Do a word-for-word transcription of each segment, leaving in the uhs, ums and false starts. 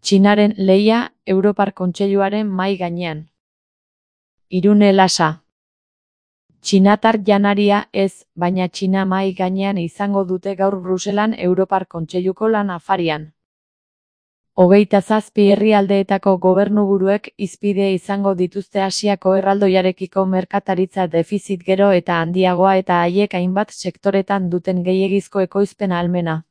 Txinaren lehia Europar Kontseiluaren mahai gainean. Irune Lasa. Txinatar janaria ez, baina Txina mahai gainean izango dute gaur Bruselan Europar Kontseiluko lan afarian. Hogeita zazpi herrialdeetako gobernuburuek hizpide izango dituzte Asiako erraldoiarekiko merkataritza defizit gero eta handiagoa eta haiek hainbat sektoretan duten gehiegizko ekoizpen ahalmena.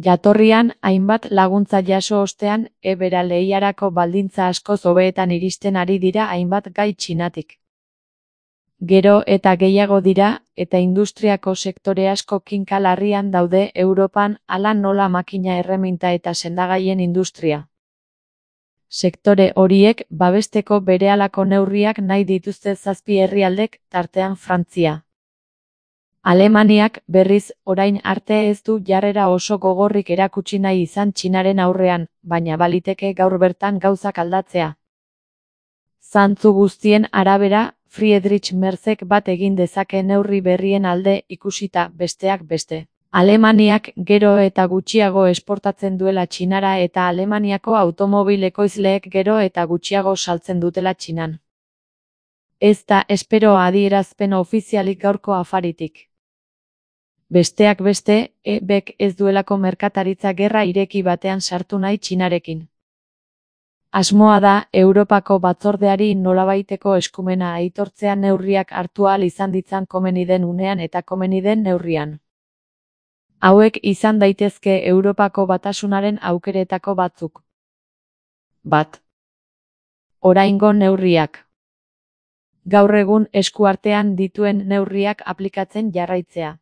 Jatorrian, hainbat laguntza jaso ostean, ebera lehiarako baldintza askoz hobeetan iristen ari dira hainbat gai Txinatik. Gero eta gehiago dira, eta industriako sektore asko kinka larrian daude Europan, hala nola makina erreminta eta sendagaien industria. Sektore horiek babesteko berehalako neurriak nahi dituzte zazpi herrialdek, tartean Frantzia. Alemaniak, berriz, orain arte ez du jarrera oso gogorrik erakutsi nahi izan Txinaren aurrean, baina baliteke gaur bertan gauzak aldatzea. Zantzu guztien arabera, Friedrich Merzek bat egin dezake neurri berrien alde ikusita besteak beste. Alemaniak gero eta gutxiago esportatzen duela Txinara eta Alemaniako automobil ekoizleek gero eta gutxiago saltzen dutela Txinan. Ez da espero adierazpen ofizialik gaurko afaritik. Besteak beste, E Bk ez duelako merkataritza gerra ireki batean sartu nahi Txinarekin. Asmoa da, Europako batzordeari nolabaiteko eskumena aitortzea neurriak hartu ahal izan ditzan komeni den unean eta komeni den neurrian. Hauek izan daitezke Europako batasunaren aukeretako batzuk. Bat. Oraingo neurriak. Gaur egun eskuartean dituen neurriak aplikatzen jarraitzea.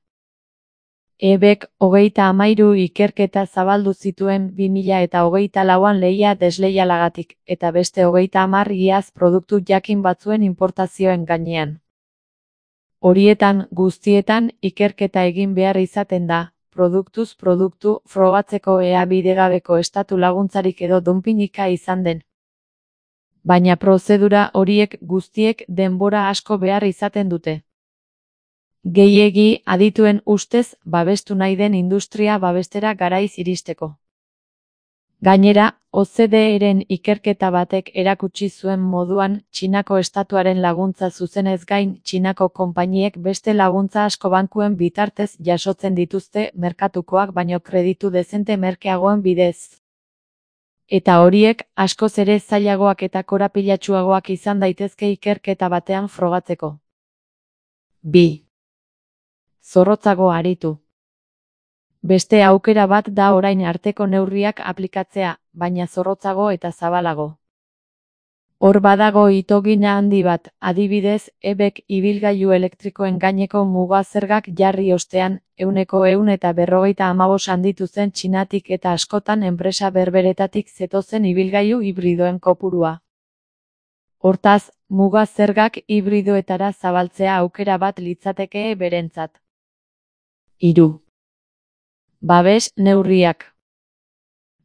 E Bk hogeita hamairu ikerketa zabaldu zituen bi mila eta hogeita lauan lehia desleialagatik, eta beste hogeita hamar iaz produktu jakin batzuen importazioen gainean. Horietan guztietan ikerketa egin behar izaten da, produktuz produktu frogatzeko ea bidegabeko estatu laguntzarik edo dunpinika izan den. Baina prozedura horiek guztiek denbora asko behar izaten dute. Gehiegi adituen ustez babestu nahi den industria babestera garaiz iristeko. Gainera, O C D E-ren ikerketa batek erakutsi zuen moduan Txinako estatuaren laguntza zuzenez gain Txinako konpainiek beste laguntza asko bankuen bitartez jasotzen dituzte merkatukoak baino kreditu dezente merkeagoen bidez. Eta horiek askoz ere zailagoak eta korapilatsuagoak izan daitezke ikerketa batean frogatzeko. Bi. Zorrotzago aritu. Beste aukera bat da orain arteko neurriak aplikatzea, baina zorrotzago eta zabalago. Hor badago itogina handi bat, adibidez, E Bk ibilgailu elektrikoen gaineko muga zergak jarri ostean, ehuneko ehun eta berrogeita hamabost handitu zen Txinatik eta askotan enpresa berberetatik zetozen ibilgailu hibridoen kopurua. Hortaz, muga zergak hibridoetara zabaltzea aukera bat litzateke berentzat. Hiru. Babes neurriak.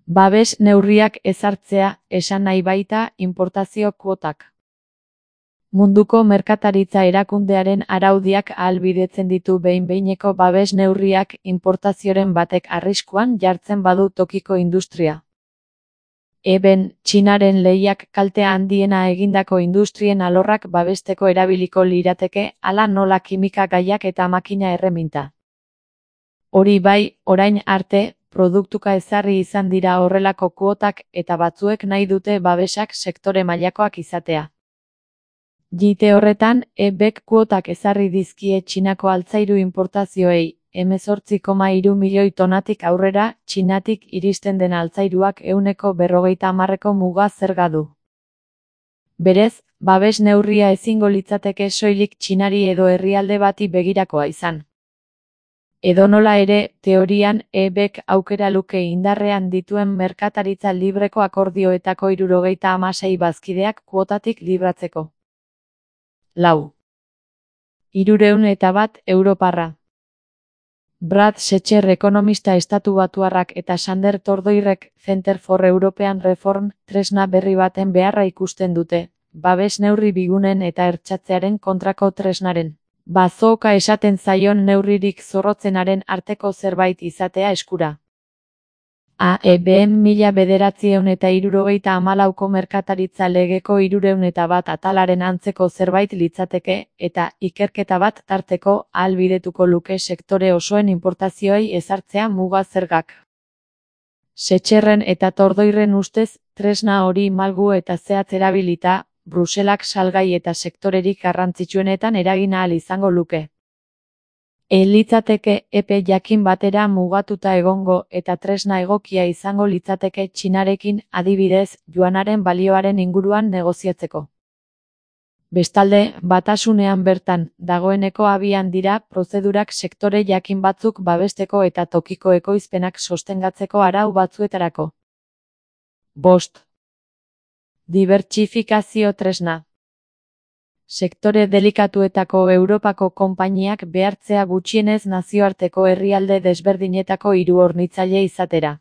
Babes neurriak ezartzea, esan nahi baita inportazio kuotak. Munduko merkataritza erakundearen araudiak ahalbidetzen ditu behin-behineko babes neurriak inportazioren batek arriskuan jartzen badu tokiko industria. Eben, Txinaren lehiak kalte handiena egindako industrien alorrak babesteko erabiliko lirateke, hala nola kimika gaiak eta makina erreminta. Hori bai, orain arte, produktuka ezarri izan dira horrelako kuotak eta batzuek nahi dute babesak sektore mailakoak izatea. Jite horretan, E Bk kuotak ezarri dizkie Txinako altzairu importazioei, hemezortzi koma hiru milioi tonatik aurrera, Txinatik iristen den altzairuak ehuneko berrogeita hamarreko muga zerga du. Berez, babes neurria ezingo litzateke soilik Txinari edo herrialde bati begirakoa izan. Edonola ere, teorian, E Bk aukera luke indarrean dituen merkataritza libreko akordioetako hirurogeita hamasei bazkideak kuotatik libratzeko. Lau. Hirurehun eta bat europarra. Brad Setcher ekonomista estatubatuarrak eta Sander Tordoirrek Center for European Reform tresna berri baten beharra ikusten dute, babes neurri bigunen eta hertsatzearen kontrako tresnaren. Bazooka esaten zaion neurririk zorrotzenaren arteko zerbait izatea eskura. A E B mila bederatziehun eta hirurogeita hamalauko merkataritza legeko hirurehun eta bat atalaren antzeko zerbait litzateke, eta ikerketa bat tarteko ahalbidetuko luke sektore osoen inportazioei ezartzea muga zergak. Setxerren eta Tordoirren ustez, tresna hori malgu eta zehatz erabilita, Bruselak salgai eta sektorerik garrantzitsuenetan eragin ahal izango luke. Ez litzateke epe jakin batera mugatuta egongo eta tresna egokia izango litzateke Txinarekin, adibidez, juanaren balioaren inguruan negoziatzeko. Bestalde, batasunean bertan, dagoeneko abian dira prozedurak sektore jakin batzuk babesteko eta tokiko ekoizpenak sostengatzeko arau batzuetarako. Bost. Dibertsifikazio tresna. Sektore delikatuetako Europako konpainiak behartzea gutxienez nazioarteko herrialde desberdinetako hiru hornitzaile izatera.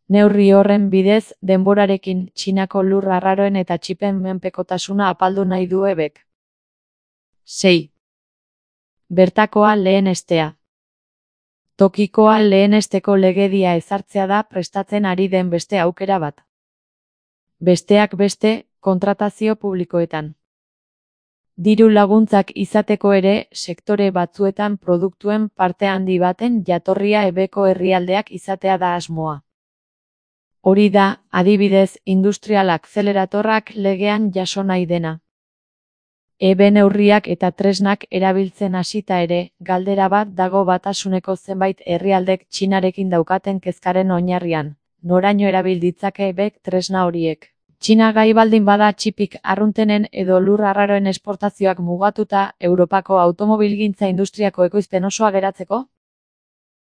Neurri horren bidez, denborarekin, Txinako lur arraroen eta txipen menpekotasuna apaldu nahi du E Bk. sei. Bertakoa lehenestea. Tokikoa lehenesteko legedia ezartzea da prestatzen ari den beste aukera bat. Besteak beste, kontratazio publikoetan. Diru laguntzak izateko ere, sektore batzuetan produktuen parte handi baten jatorria E Bko herrialdeak izatea da asmoa. Hori da, adibidez, industrial akzeleratorrak legean jaso nahi dena. E B neurriak eta tresnak erabiltzen hasita ere, galdera bat dago batasuneko zenbait herrialdek Txinarekin daukaten kezkaren oinarrian, noraino erabil ditzake E Bk tresna horiek. Txina gai baldin bada txipik arruntenen edo lur arraroen esportazioak mugatuta, Europako automobilgintza industriako ekoizpen osoa geratzeko?